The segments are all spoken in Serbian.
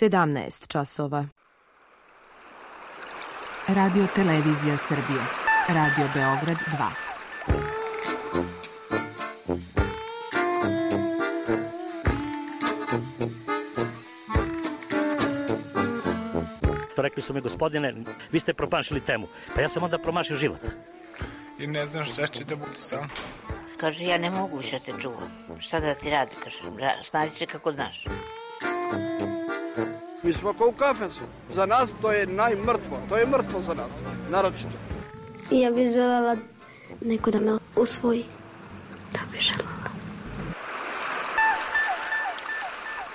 17 časova. Radio Televizija Srbije. Radio Beograd 2. Rekli su mi, gospodine, vi ste promašili temu. Pa ja sam onda promašio život. I ne znam šta će da bude sam. Kaže, ja ne mogu više te čuvam. Šta da ti radi, kaže, snađi se kako znaš. Mi smo kao u kafesu. Za nas to je najmrtvo. To je mrtvo za nas, naročito. Ja bih želela neko da me usvoji. Da bih želela.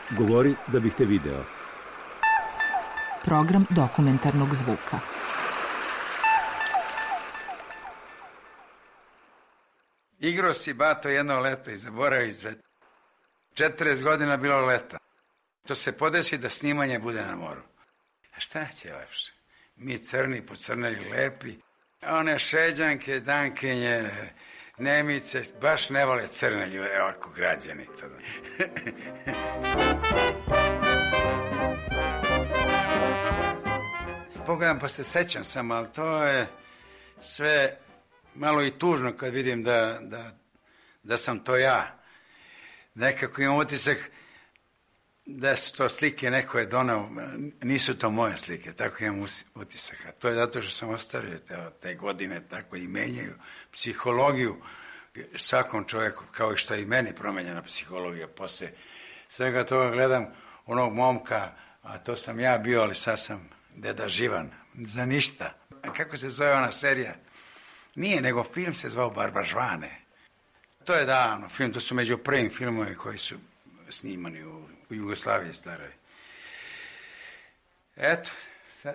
Govori da bih te video. Program dokumentarnog zvuka. Igrao si bato jedno leto i zaboravio sve. 40 godina bilo leta. To se podesi da snimanje bude na moru. A šta će lepše? Mi crni, pocrneli, lepi. One šeđanke, dankinje, Nemice, baš ne vole crne ljude, ovako građani. Pogledam pa se sećam sam, ali to je sve malo i tužno kad vidim da sam to ja. Nekako imam utisak da su to slike neko je donao, nisu to moje slike, tako imam utisak. A to je zato što sam ostavio te godine, tako i menjaju psihologiju svakom čovjeku, kao i što je i meni promenjena psihologija. Posle svega toga gledam onog momka, a to sam ja bio, ali sad sam deda živan, za ništa. A kako se zove ona serija? Nije, nego film se zvao Barbažvane. To je davno film, to su među prvim filmove koji su snimani u Jugoslaviji staroj. Eto,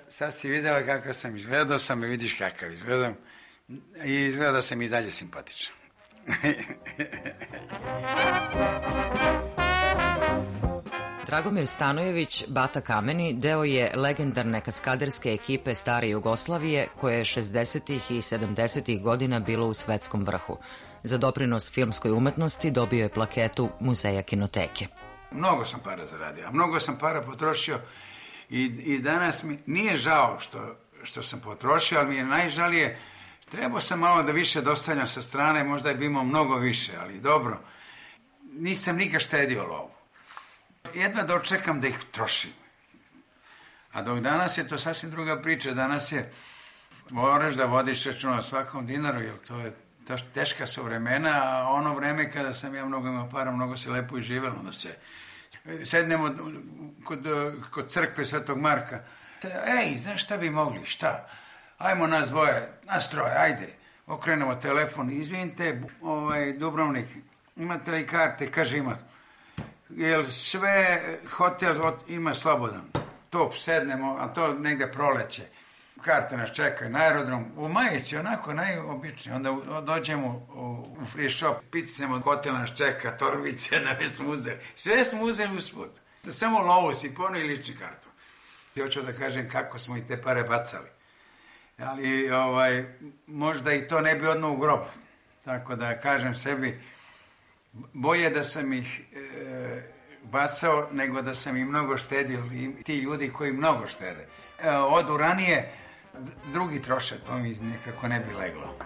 sad si vidjela kakav sam izgledao, sam i vidiš kakav izgledam i izgleda sam i dalje simpatičan. Dragomir Stanojević, Bata Kameni, deo je legendarne kaskaderske ekipe stare Jugoslavije koja je 60. i 70. godina bila u svetskom vrhu. Za doprinos filmskoj umetnosti dobio je plaketu Muzeja kinoteke. Mnogo sam para zaradio, a mnogo sam para potrošio i danas mi nije žao što sam potrošio, ali mi je najžalije, trebao sam malo da više dostavljam sa strane, možda bi imao mnogo više, ali dobro, nisam nikad štedio lovu. Jedva dočekam da ih trošim. A dok danas je to sasvim druga priča, danas je, moraš da vodiš računa o svakom dinaru, jer to je teška su vremena, a ono vreme kada sam ja mnogo imao para, mnogo se lepo i živelo, onda se sednemo kod crkve Svetog Marka. Ej, znaš šta bi mogli, šta? Ajmo nas dvoje, nas troje, ajde. Okrenemo telefon, izvinite, Dubrovnik, imate li karte? Kaže, ima. Jel sve hotel ima slobodan? Top, sednemo, a to negde proleće. Karte nas čekaju na aerodrom, u majici, onako najobičnije. Onda dođemo u free shop, picnemo, hotel nas čeka, torbice, da smo uzeli. Sve smo uzeli usput. Samo lovu si ponio i lični kartu. Hoću da kažem kako smo i te pare bacali. Ali možda i to ne bi odno u grob. Tako da kažem sebi, bolje da sam ih bacao nego da sam ih mnogo štedio. I ti ljudi koji mnogo štede. Odu ranije, drugi troše, to mi nekako ne bi leglo.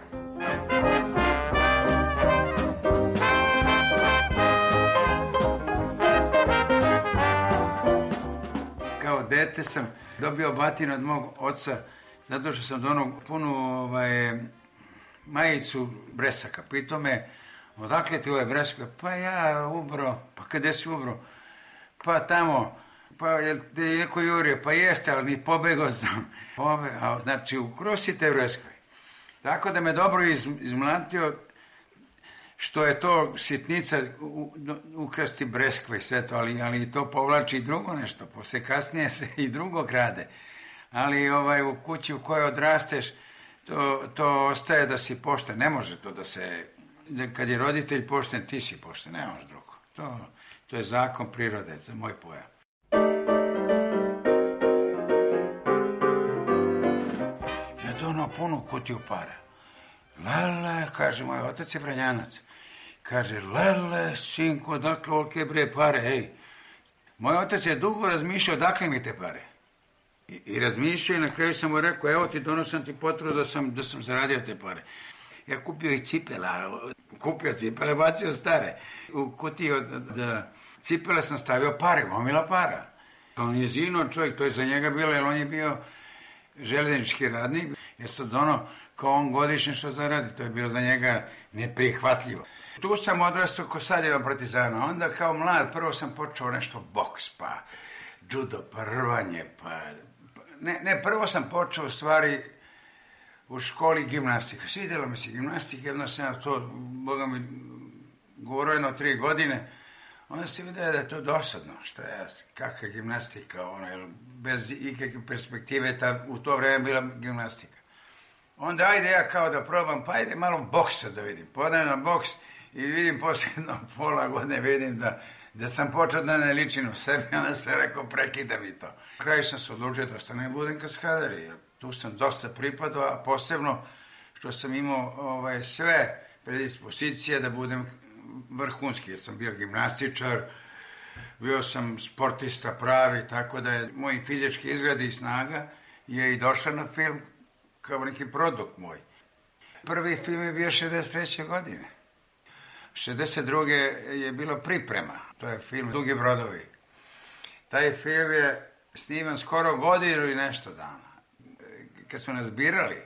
Kao dete sam dobio batinu od mog oca zato što sam donao punu majicu bresaka. Pitao me, odakle ti ove breske? Pa ja ubro. Pa kada si ubro? Pa tamo. Pa je li neko jurio? Pa jeste, ali mi pobegao sam. Znači, ukrosite breskve. Tako da me dobro izmlatio, što je to sitnica ukrasti breskve i sve to, ali to povlači i drugo nešto. Posle kasnije se i drugo krade. Ali u kući u kojoj odrasteš, to ostaje da si pošten. Ne može to da se... Kad je roditelj pošten, ti si pošten. Ne može drugo. To je zakon prirode, za moj pojam. Ja donao punu kutiju para. Lele, kaže, moj otac je Vranjanac. Kaže, lele, sinko, dakle, olike bre pare, ej. Moj otac je dugo razmišljao odakle mi te pare. I razmišljao i na kraju sam mu rekao, evo ti donosim ti potvrdu da sam zaradio te pare. Ja kupio i cipele, bacio stare. U kutiji od cipele sam stavio pare, gomila para. On je zino čovjek, to je za njega bilo, jer on je bio željeznički radnik. Jer sad kao on godišnje što zaradi, to je bilo za njega neprihvatljivo. Tu sam odrastao ko Sadjeva Partizana. Onda kao mlad prvo sam počeo nešto boks, pa judo, pa rvanje, prvo sam počeo u stvari u školi gimnastika. Svidjelo mi se gimnastika, jedno sam ja to, Boga mi, govoreno 3 godine. Onda se vidio da je to dosadno. Šta je, kakva gimnastika, bez ikakve perspektive, u to vreme bila gimnastika. Onda ajde ja kao da probam, pa ajde malo boksa da vidim. Podajem na boks i vidim posljedno pola godine, vidim da sam počeo da ne ličim u sebi, onda sam rekao prekida mi to. Na kraju sam se odlučio da ostane budem kaskader, jer tu sam dosta pripadao, a posebno što sam imao sve predispozicije da budem vrhunski, jer sam bio gimnastičar, bio sam sportista pravi, tako da je moj fizički izgled i snaga je i došla na film kao neki produkt moj. Prvi film je bio 63. godine. 62. je bila priprema, to je film Dugi brodovi. Taj film je sniman skoro godinu i nešto dana. Kad su nas birali,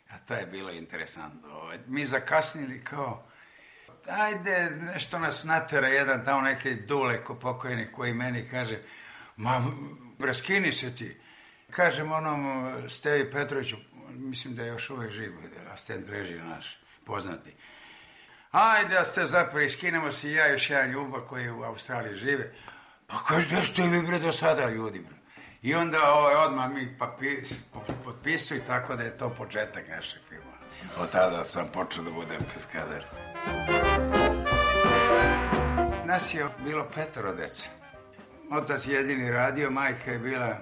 a to je bilo interesantno, mi zakasnili kao, ajde, nešto nas natera jedan tamo neki Dule ko pokojnik koji meni kaže, ma, raskini se ti. Kažem onom Stevi Petroviću, mislim da je još uvek živ, asistent režije naš, poznati. Ajde, da ste zapravo, iskinemo se i ja još jedan ljubav koji u Australiji žive. Pa kaže, da ste vi bre do sada ljudi, bre. I onda odmah mi potpisuju, tako da je to početak našeg filma. Od tada sam počeo da budem kaskader. Nas je bilo 5 dece. Otac jedini radio, majka je bila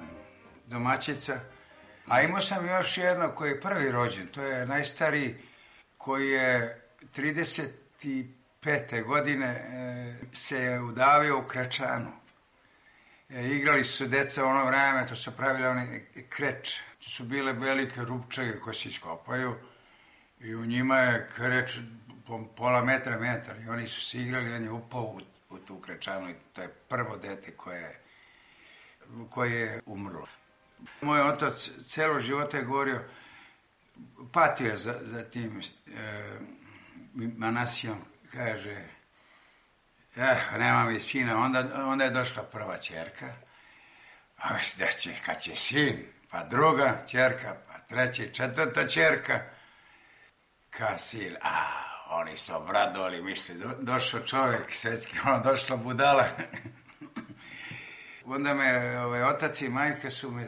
domaćica. A imao sam još jedno koji je prvi rođen, to je najstariji koji je 35. godine se udavio u Krečanu. Igrali su deca u ono vreme, to su pravili one kreč. To su bile velike rupčage koje se iskopaju i u njima je kreč pola metar. I oni su se igrali, on je upao u tu Krečanu i to je prvo dete koje je umrlo. Moj otac celo života je govorio, patio je za tim Manasijom, kaže, nema mi sina, onda je došla prva ćerka, a kad će sin, pa druga ćerka, pa treća i četvrta ćerka, kad sin, oni su obradovali, misli, došao čovjek svetski, došla budala. Onda me otac i majka su me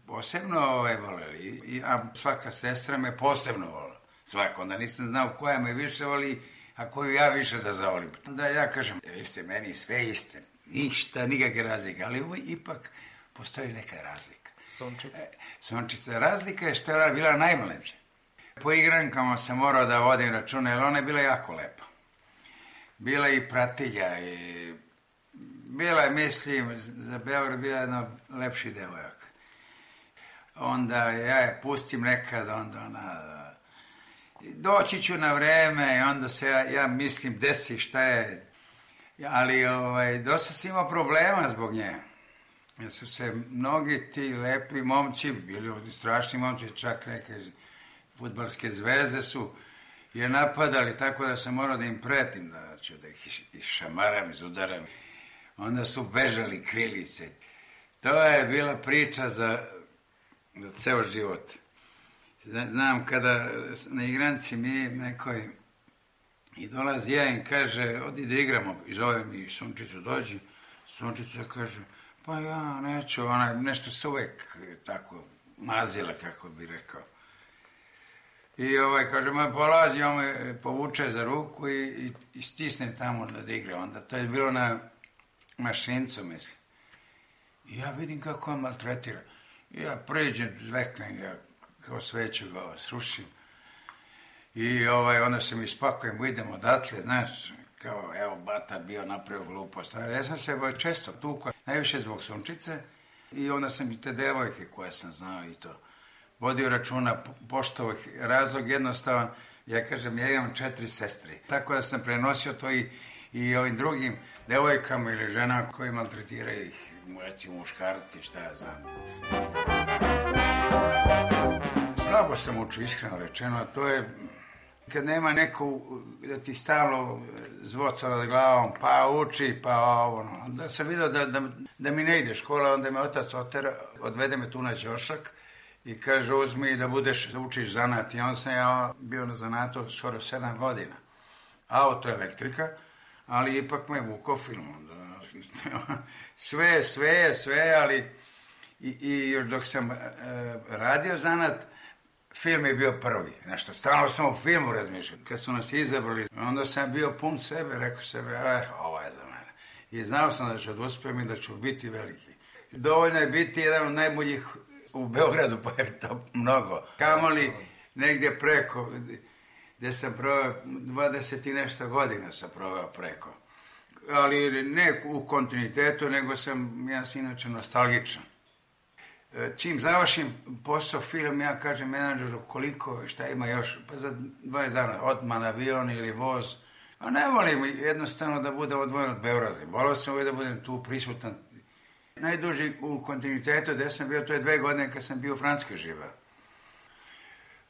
posebno voleli, a svaka sestra me posebno volila. Svaka, onda nisam znao koja me više voli, a koju ja više da zavolim. Onda ja kažem, vi ste meni sve iste, ništa, nikakve razlike, ali ipak postoji neka razlika. Sončica. Razlika je što je ona bila najmlađa. Po igrankama sam morao da vodim računa, jer ona je bila jako lepa. Bila i pratilja i bila je, mislim, za Beograd bila jedna lepši devojaka. Onda ja je pustim nekad, onda ona, doći ću na vreme i onda se ja mislim desi šta je, ali dosta sam imao problema zbog nje. Jer su se mnogi ti lepi momci, bili strašni momci, čak neke fudbalske zvezde su je napadali, tako da sam morao da im pretim, da ću da ih išamaram, izudaram. Onda su bežali, krili se. To je bila priča za ceo život. Znam kada na igranci mi nekoj i dolazi jedan i kaže, odi da igramo, i zove mi Sunčicu, dođi. Sunčica kaže, pa ja neću, ona nešto se uvek tako mazila, kako bi rekao. I kaže, polazi, on me povuče za ruku i stisne tamo da igra. Onda to je bilo na Mašincu, mislim. I ja vidim kako on maltretira. I ja pređem, zveknem ga, kao sveću ga srušim. I onda se mi spakujem, idemo odatle, znaš, kao, evo, bata bio napravio glupost. Ja sam se često tukao. najviše zbog Sunčice i onda sam i te devojke koje sam znao i to vodio računa, poštovao ih. Razlog jednostavan, ja kažem, ja imam 4 sestre, tako da sam prenosio to i ovim drugim devojkama ili ženama koji maltretiraju ih, recimo muškarci, šta ja znam. Slabo sam učio, iskreno rečeno, a to je kad nema neko da ti stalno zvoca nad glavom, pa uči, pa ono. Da sam vidio da mi ne ide škola, onda me otac odvede me tu na ćošak i kaže uzmi da učiš zanat. I onda sam ja bio na zanatu skoro 7 godina. Auto elektrika, ali ipak me vukao film. Sve, ali i još dok sam radio zanat, film je bio prvi. Nešto, stalno sam o filmu razmišljao. Kad su nas izabrali, onda sam bio pun sebe, rekao sebe, ovo je za mene. I znao sam da ću da uspijem i da ću biti veliki. Dovoljno je biti jedan od najboljih u Beogradu, pa je to mnogo. Kamoli negdje preko, gdje sam proveo 20 i nešto godina sam proveo preko. Ali ne u kontinuitetu, nego ja sam inače nostalgičan. Čim završim posao film, ja kažem menadžeru koliko, šta ima još, pa za 20 dana, odmah avion ili voz. A ne volim jednostavno da bude odvojen od Beograda. Volio sam uvijek da budem tu prisutan. Najduži u kontinuitetu gdje sam bio, to je 2 godine kad sam bio u Francuskoj živeo.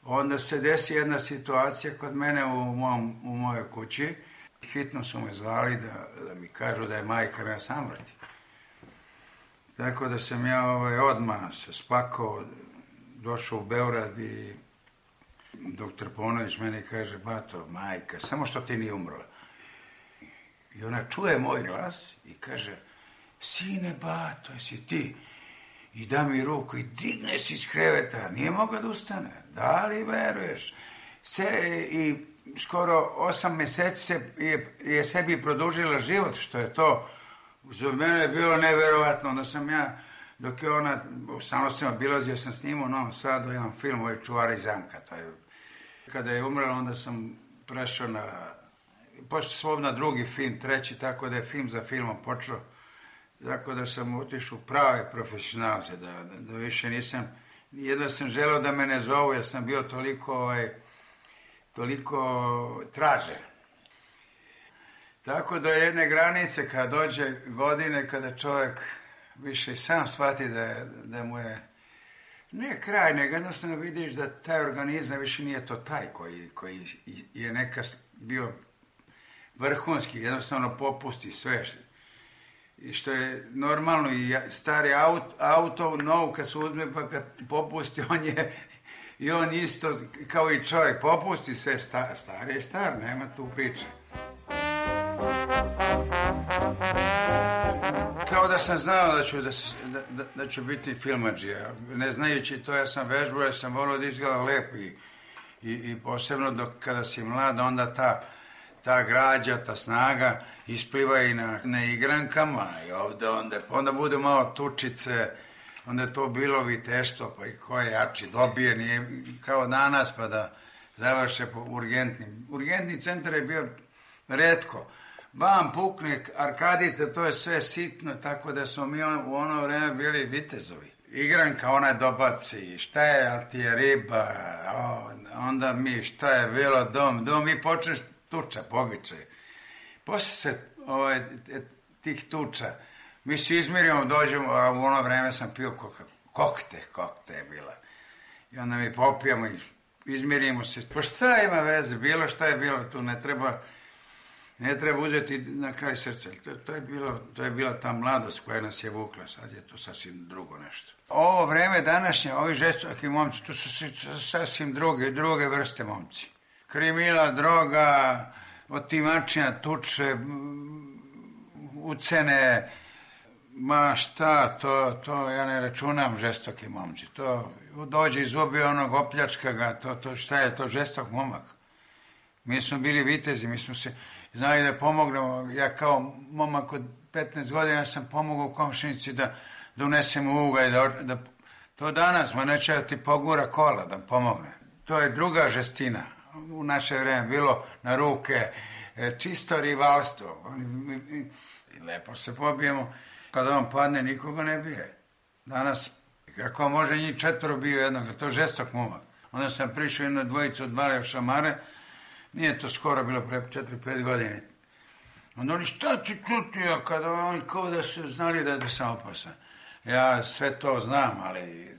Onda se desi jedna situacija kod mene u mojoj kući. Hitno su me zvali da mi kažu da je majka na samrti. Tako da sam ja odmah se spakao, došao u Beograd i doktor Ponović meni kaže, bato, majka, samo što ti nije umrla. I ona čuje moj glas i kaže, sine, bato, jesi ti? I da mi ruku i digne se iz kreveta, nije mogla da ustane. Da li veruješ? I skoro 8 mjeseci je sebi produžila život, što je to za mene bilo neverovatno. Onda sam ja, dok je ona, stalno sam obilazio, sam snimao u Novom Sadu jedan film, ovo je Čuvari zamka. Kada je umrla, onda sam prešao pošto na drugi film, treći, tako da je film za filmom počeo. Tako da sam otišao prave profesionalce, da više nisam, jedno sam želeo da me ne zovu, jer sam bio toliko tražen. Tako da jedne granice, kada dođe godine, kada čovjek više sam shvati da mu je, ne kraj, nego jednostavno vidiš da taj organizam više nije to taj koji je nekad bio vrhunski, jednostavno popusti sve. I što je normalno, i stari auto, nov kad se uzme pa kad popusti, on isto kao i čovjek, popusti sve, star je star, nema tu priče. Kao da sam znao da ću biti filmadžija, ne znajući to, ja sam vežbao, ja sam volio da izgledam lepo i posebno kada si mlad, onda ta građa, ta snaga ispliva i na igrankama i onda bude malo tučice, onda je to bilo viteštvo, pa i ko je jači dobije, nije kao danas pa da završe po urgentnim. Urgentni centar je bio retko. Bam, pukne, arkadica, to je sve sitno, tako da smo mi u ono vreme bili vitezovi. Igranka, ona dobaci, šta je, ali ti je riba, onda mi, šta je bilo, dom, i počneš tuča, pobičaj. Posle se tih tuča, mi se izmirimo, dođemo, a u ono vreme sam pio kokte je bila. I onda mi popijamo i izmirimo se. Pa šta ima veze, bilo šta je bilo, tu ne treba uzeti na kraj srca. To je bila ta mladost koja nas je vukla, sad je to sasvim drugo nešto. Ovo vreme današnje, ovi žestoki momci, to su sasvim druge vrste momci. Krimila, droga, otimačina, tuče, ucene, ma šta, to ja ne računam žestoki momci. To dođe izgubi onog, opljačka ga, šta je to žestok momak. Mi smo bili vitezi, mi smo se znali da pomognemo. Ja kao momak od 15 godina sam pomogao komšinici da unesem ugalj, to danas, ma neće da ti pogura kola da pomogne. To je druga žestina. U naše vreme bilo na ruke, čisto rivalstvo. Lepo se pobijemo Kada on padne, nikoga ne bije. Danas, kako može njih 4 bio jednog, to žestok momak. Onda sam prišao jednu dvojicu od Balija šamare, nije to skoro bilo pre 4-5 godine. Onda oni, šta ti čutio, kada oni kao da su znali da sam opasan. Ja sve to znam, ali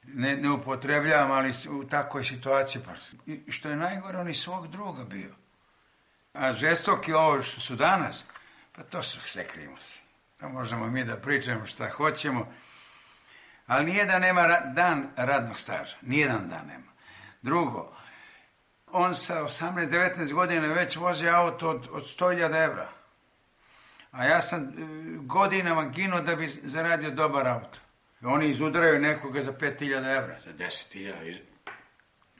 ne upotrebljavam, ali u takvoj situaciji. I što je najgore, oni svog druga bio. A žestoki ovo što su danas, pa to su sve krimusi. To možemo mi da pričamo šta hoćemo, ali nije da nema dan radnog staža. Nijedan dan nema. Drugo, on sa 18-19 godina već vozi auto od 100.000 evra. A ja sam godinama ginuo da bi zaradio dobar auto. Oni izudaraju nekoga za 5.000 evra, za 10.000.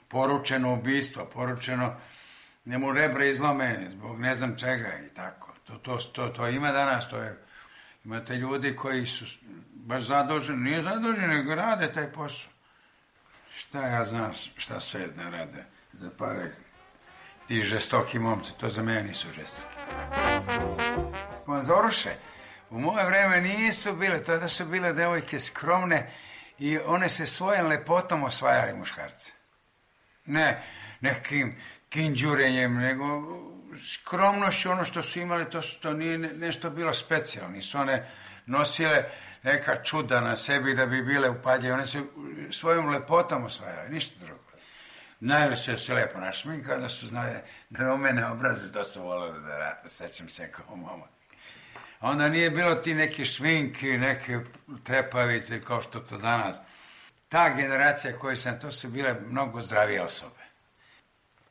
Poručeno ubistvo, poručeno njemu rebra izlome zbog ne znam čega i tako. To ima danas, imate ljudi koji su baš zaduženi, nije zaduženi, nego rade taj posao. Šta ja znam šta sve ne rade za pare. Ti žestoki momci, to za mene nisu žestoki. Sponzoruše, u moje vreme nisu bile, tada su bile devojke skromne i one se svojom lepotom osvajali muškarce. Ne nekim kinđurenjem, nego skromnošću, ono što su imali, to nije nešto bilo specijalno. Nisu one nosile neka čuda na sebi da bi bile upadljive. One se svojom lepotom osvajale, ništa drugo. Najviše se lepo našli, kada su znali da u mene obraze, to su volili da sećam se kao momak. Onda nije bilo ti neki šminki, neke trepavice kao što to danas. Ta generacija koju sam, to su bile mnogo zdravije osobe.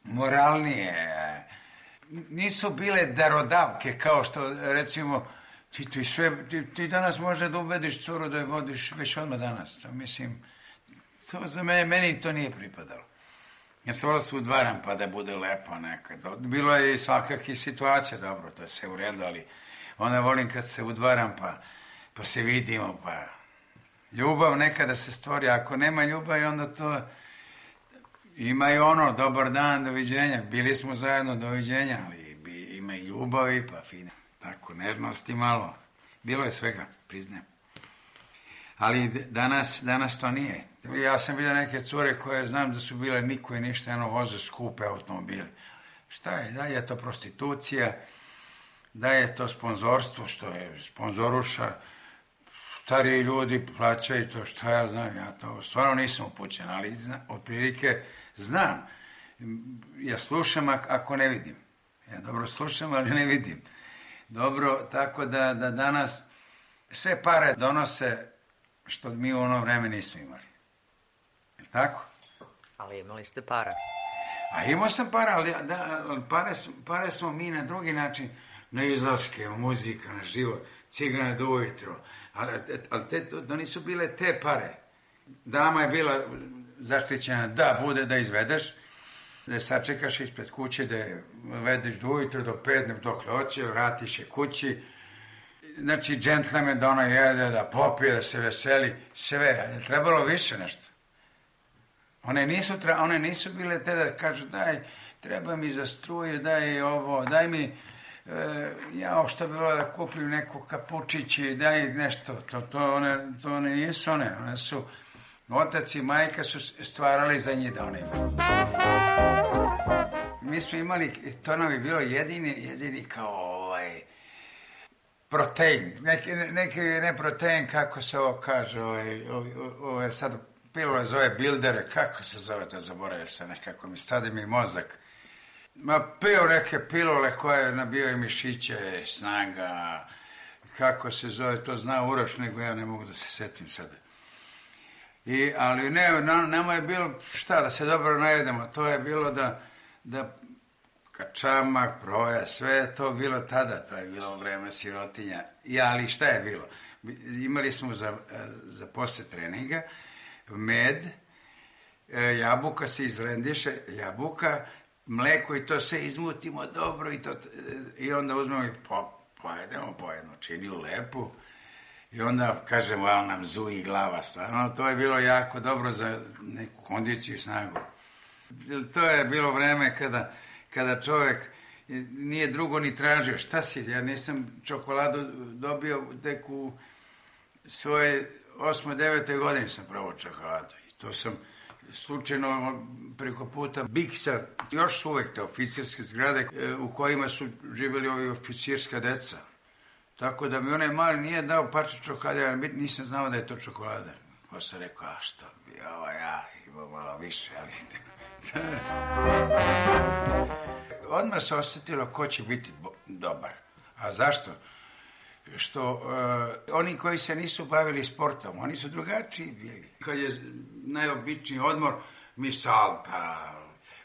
Moralnije. Nisu bile darodavke kao što, recimo, ti danas može da ubediš curu da je vodiš već odmah danas. To mislim, to za meni to nije pripadalo. Ja sam volio se udvaram pa da bude lepo nekad. Bilo je i svakakih situacija, dobro, to je sve u redu, ali onda volim kad se udvaram pa se vidimo, pa ljubav nekada se stvori. Ako nema ljubavi, onda to ima i ono, dobar dan, doviđenja. Bili smo zajedno, doviđenja, ali ima i ljubavi, pa fine. Tako, nežnosti malo. Bilo je svega, priznajem. Ali danas to nije. Ja sam vidio neke cure koje znam da su bile niko i ništa, voze skupe automobile. Šta je? Da je to prostitucija, da je to sponzorstvo, što je sponzoruša, stariji ljudi plaćaju to, šta ja znam, ja to stvarno nisam upućen, ali otprilike znam. Ja slušam ako ne vidim. Ja dobro slušam, ali ne vidim. Dobro, tako da danas sve pare donose što mi u ono vreme nismo imali. Je tako? Ali imali ste para. A imao sam para, ali pare smo mi na drugi način, na izlaške, muzika, na život, cigane do ujutro. Ali to nisu bile te pare. Dama je bila zaštićena da bude da izvedeš, da je sačekaš ispred kuće, da je vedeš do ujutro, do 5, dok hoće, vratiš je kući. Znači, džentlmen da ona jede, da popije, da se veseli, sve. Je trebalo više nešto. One nisu bile te da kažu, daj, treba mi za struje, daj ovo, daj mi, što bi bilo da kupim neko kapučići, daj nešto. To one nisu one. One su, otac i majka su stvarali za njih da one imaju. Mi smo imali, to nam je bilo jedini kao protein, ne protein, kako se ovo kaže, ovo je sad pilule zove bildere, kako se zove to, zaboravio se nekako, stade mi mozak. Pio neke pilule koje nabijaju mišiće, snaga, kako se zove, to zna Uroš, nego ja ne mogu da se setim sada. Ali ne, nama je bilo, da se dobro najedemo, to je bilo da kačamak, proja, sve je to bilo tada, to je bilo vreme sirotinja. Ali šta je bilo? Imali smo za posle treninga med, jabuka se izrendiše, jabuka, mleko i to sve izmutimo dobro i onda uzmemo i pojedemo po jednu činiju lepu i onda kažemo, ali nam zuji glava stvarno. To je bilo jako dobro za neku kondiciju i snagu. To je bilo vreme kada čovjek nije drugo ni tražio. Šta si, ja nisam čokoladu dobio tek u svoje 8. 9. godine sam probao čokoladu. I to sam slučajno preko puta Bigsa, još su uvek te oficirske zgrade u kojima su živjeli ovi oficirska deca. Tako da mi onaj mali nije dao parče čokolade, nisam znao da je to čokolada. Pa sam rekao, a što bi ja imao malo više, ali... Odmah se osjetilo ko će biti dobar. A zašto? Što oni koji se nisu bavili sportom, oni su drugačiji bili. Kad je najobičniji odmor, mi salta,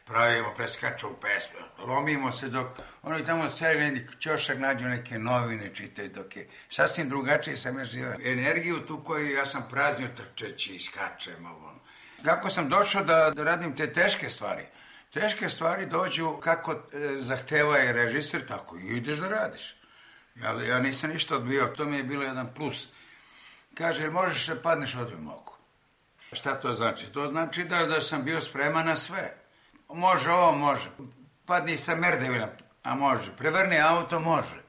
pravimo, preskačemo pesme, lomimo se dok oni tamo seli ćošak nađu neke novine, čitaju dok je sasvim drugačije sam ja živao. Energiju tu koju ja sam praznio trčeći, skačem. Kako sam došao da radim te teške stvari? Teške stvari dođu kako zahteva je režiser, tako i ideš da radiš. Ja nisam ništa odbio, to mi je bilo jedan plus. Kaže, možeš da padneš, odbio mogu. Šta to znači? To znači da sam bio spreman na sve. Može ovo, može. Padni sa merdevina, a može. Prevrni auto, može.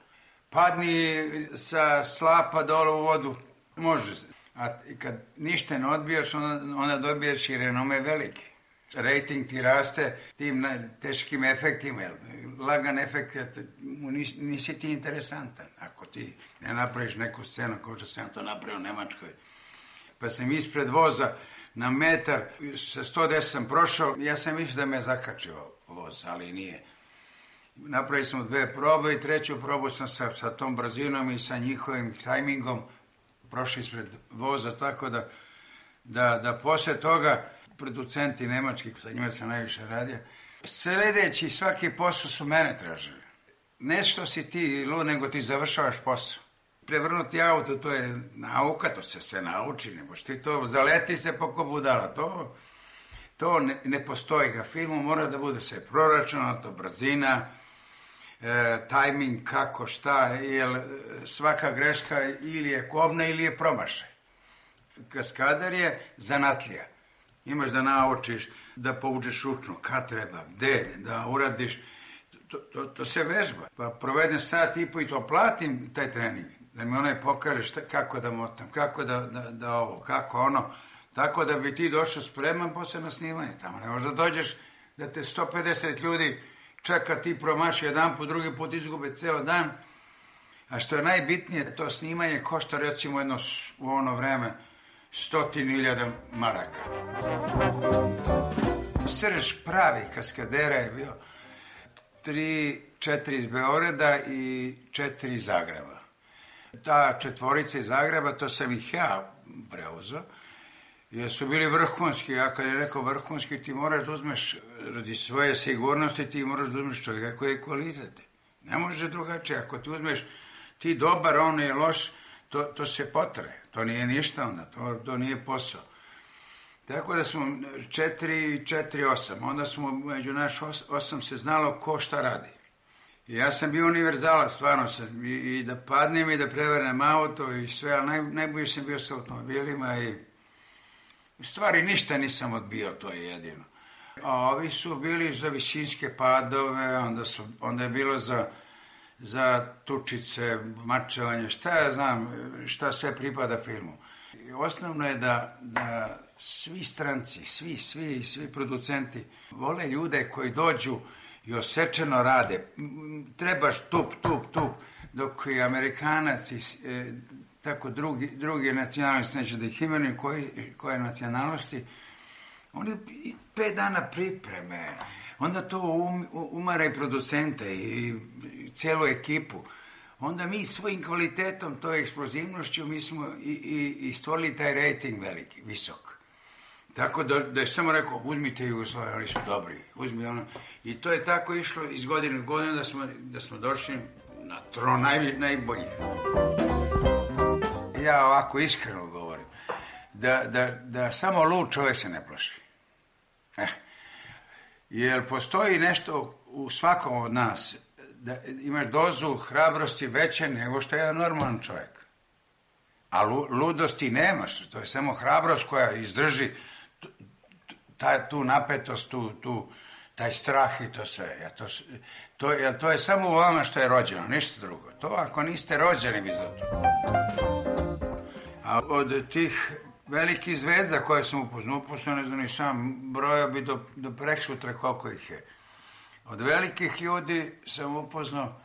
Padni sa slapa dole u vodu, može. A kad ništa ne odbijaš, onda dobiješ i renome veliki. Rating ti raste tim teškim efektima. Lagan efekt, nisi ti interesantan. Ako ti ne napraviš neku scenu, kao što sam to napravio u Nemačkoj. Pa sam ispred voza na metar, sa 110 sam prošao, ja sam mislio da me zakačio voz, ali nije. Napravili smo 2 probe i 3. probu sam sa tom brzinom i sa njihovim tajmingom prošli ispred voza, tako da posle toga producenti nemački, sa njima sam najviše radio, sledeći svaki posao su mene tražili. Ne što si ti lud, nego ti završavaš posao. Prevrnuti auto, to je nauka, to se sve nauči, ne možeš ti to, zaleti se poko budala, to ne postoji. Na filmu mora da bude sve proračunato, brzina, tajming, kako, šta, jer svaka greška ili je kobna ili je promašaj. Kaskader je zanatlija. Imaš da naučiš, da povučeš ručno, kad treba, gde, da uradiš, to se vežba. Pa provedem sat i po i to platim taj trening, da mi onaj pokaže kako da motam, kako da ovo, kako ono, tako da bi ti došao spreman posle na snimanje. Tamo ne možeš da dođeš, da te 150 ljudi čeka, ti promaši jedan put, drugi put izgube ceo dan, a što je najbitnije, to snimanje košta recimo u ono vreme 100.000 maraka. Srž pravi kaskadera je bio 3-4 iz Beograda i 4 iz Zagreba. Ta 4 iz Zagreba, to sam ih ja preuzeo, jer su bili vrhunski. Ja kad je rekao vrhunski, ti moraš da uzmeš, radi svoje sigurnosti, ti moraš da uzmeš čovjeka koji je kvalitet. Ne može drugačije. Ako ti uzmeš ti dobar, on je loš, to se potre. To nije ništa onda, to nije posao. Tako da smo 4-8, onda smo među naš 8 se znalo ko šta radi. I ja sam bio univerzalac, stvarno sam, i da padnem i da prevrnem auto i sve, ali najbolji sam bio sa automobilima i u stvari ništa nisam odbio, to je jedino. A ovi su bili za visinske padove, onda je bilo za tučice, mačevanje, šta ja znam, šta sve pripada filmu. I osnovno je da svi stranci, svi producenti vole ljude koji dođu i osečeno rade. Trebaš tup, dok i Amerikanac i tako drugi nacionalnosti, neću da ih imenujem, koje nacionalnosti, oni 5 dana pripreme, onda to umara i producente i celu ekipu. Onda mi svojim kvalitetom, toj eksplozivnošću, mi smo i stvorili taj rating veliki, visok. Tako da je samo rekao, uzmite Jugoslaviju, oni su dobri, uzmi ono. I to je tako išlo iz godine u godinu da smo došli na tron najboljih. Ja ovako iskreno govorim, da samo lud čovjek se ne plaši. Jer postoji nešto u svakom od nas, da imaš dozu hrabrosti veće nego što je jedan normalan čovjek. A ludosti nemaš, to je samo hrabrost koja izdrži tu napetost, taj strah i to sve. To je samo u vama što je rođeno, ništa drugo. To ako niste rođeni vi za to. A od tih velikih zvezda koje sam upoznao, ne znam ni sam, brojao bi do preksutra koliko ih je. Od velikih ljudi sam upoznao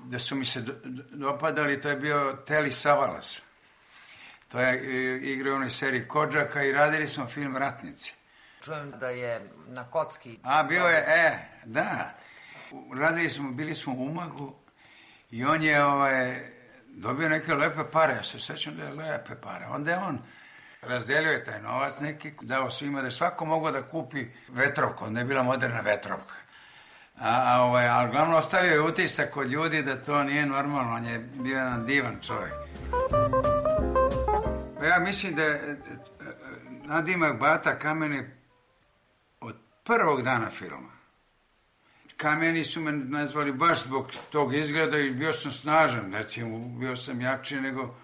da su mi se dopadali, to je bio Teli Savalas. To je igrao u onoj seriji Kodžaka i radili smo film Ratnici. Čujem da je na kocki. A, bio je, da. Bili smo u Umagu i on je dobio neke lepe pare, ja se sjećam da je lepe pare. Onda je on razdelio je taj novac neki, dao svima da je svako mogao da kupi vetrovku, onda je bila moderna vetrovka. Ali glavno ostavio je utisak kod ljudi da to nije normalno, on je bio jedan divan čovjek. Ja mislim da je nadimak Bata Kameni od prvog dana filma. Kameni su me nazvali baš zbog tog izgleda i bio sam snažan, recimo, bio sam jači nego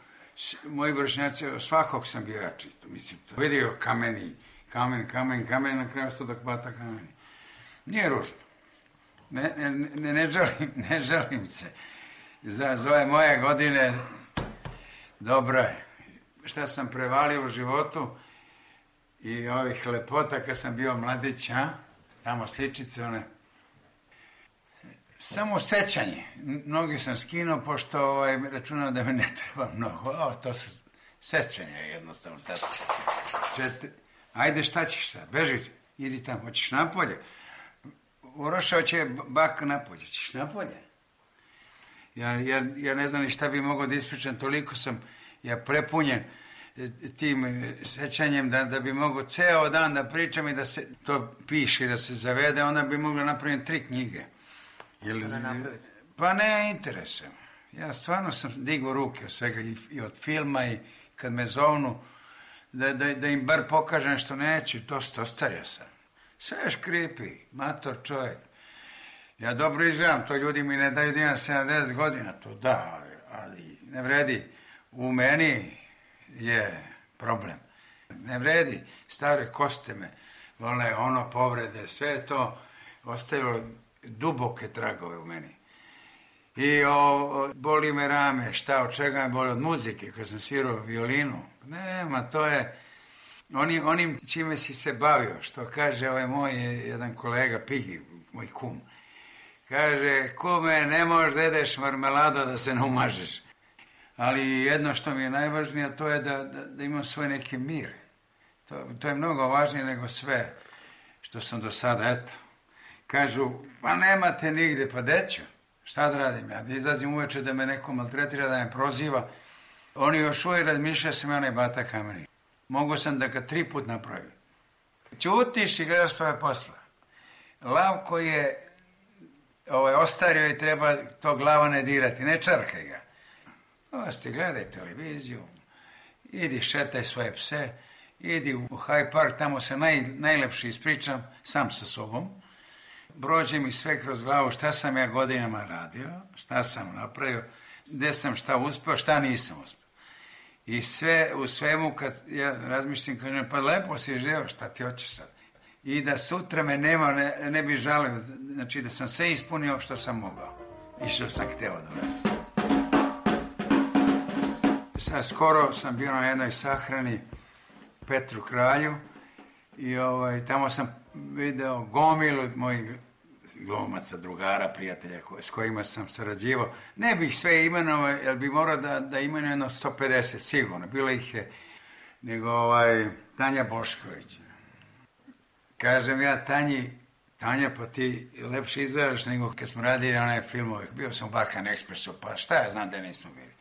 moji vršnjaci, svakog sam bio jači. Mislim, to vidio kamen, na kraju stodak Bata Kameni. Nije ružno. Ne žalim se. Za ove moje godine dobro je. Šta sam prevalio u životu i ovih lepota kad sam bio mladić, tamo sličice one. Samo sećanje. Mnogi sam skinuo, pošto računao da me ne treba mnogo. To su sećanja jednostavno. Ajde, šta ćeš sad? Beži, idi tamo, hoćeš napolje. Urošao će bak napolje, ćeš napolje. Ja ne znam ni šta bi mogao da ispričam, toliko sam prepunjen tim sećanjem da bi mogao ceo dan da pričam i da se to piše i da se zavede, onda bi mogla napraviti 3 knjige. Pa ne interesuje me. Ja stvarno sam digao ruke od svega i od filma i kad me zovnu da im bar pokažem što neću, dosta ostario sam. Sve je škripi, mator čovjek. Ja dobro izgledam, to ljudi mi ne daju da imam 70 godina, to da, ali ne vredi. U meni je problem. Ne vredi, stare koste me, vole povrede, sve to ostavilo duboke tragove u meni. I boli me rame, šta, od čega me boli, od muzike, kad sam svirao violinu. Nema, to je onim čime si se bavio, što kaže moj jedan kolega Pigi, moj kum. Kaže, kume, ne možeš da jedeš marmelado da se ne umažeš. Ali jedno što mi je najvažnije, to je da imam svoj neki mir. To je mnogo važnije nego sve što sam do sada, eto. Kažu, pa nemate nigde, pa deću. Šta da radim? Ja izlazim uveče da me neko maltretira, da me proziva. Oni još uvijek razmišljaju sam onaj Bata Kameni. Mogu sam da ga 3 put napravim. Ćutiš i gledaš svoje posla. Lav koji je ostario i treba to glava ne dirati, ne čarkaj ga. Osti, gledaj televiziju, idi šetaj svoje pse, idi u Hyde Park, tamo se najlepše ispričam sam sa sobom. Prođe mi sve kroz glavu šta sam ja godinama radio, šta sam napravio, gde sam šta uspeo, šta nisam uspeo. I sve u svemu kad ja razmišljam, kažem, pa lepo si živio, šta ti hoćeš sad? I da sutra me nema, ne bi žalio, znači da sam sve ispunio što sam mogao i što sam hteo da radim. Sad skoro sam bio na jednoj sahrani Petru Kralju i tamo sam video gomilu mojih glumaca, drugara, prijatelja s kojima sam sarađivao. Ne bih sve imenovao, jer bi morao da imenujem jedno 150, sigurno. Bilo ih je, nego Tanja Bošković. Kažem ja Tanji, Tanja, pa ti lepše izgledaš nego kad smo radili onaj filmove. Bio sam u Balkan Expressu, pa šta ja znam da nismo bili.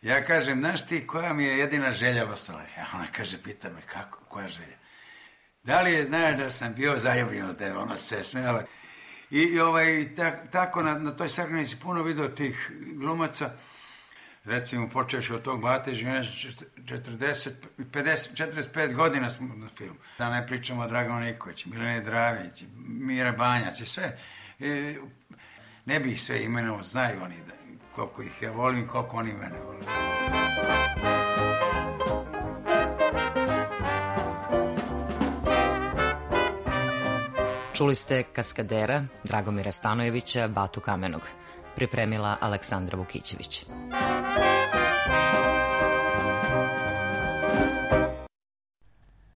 Ja kažem, znaš ti koja mi je jedina želja ostala? Ona kaže, pita me, koja želja? Da li je, znaš da sam bio zaljubljen od tebe? Ona se smijala. I tako na toj sahranici puno video tih glumaca, recimo počeši od tog Bate, 45 godina smo na filmu. Da ne pričamo o Draganu Nikoliću, Milene Dravić, Mira Banjac i sve. Ne bih sve imenovao, znaju oni koliko ih ja volim, koliko oni mene volim. Čuli ste kaskadera Dragomira Stanojevića, Batu Kamenog. Pripremila Aleksandra Vukićević.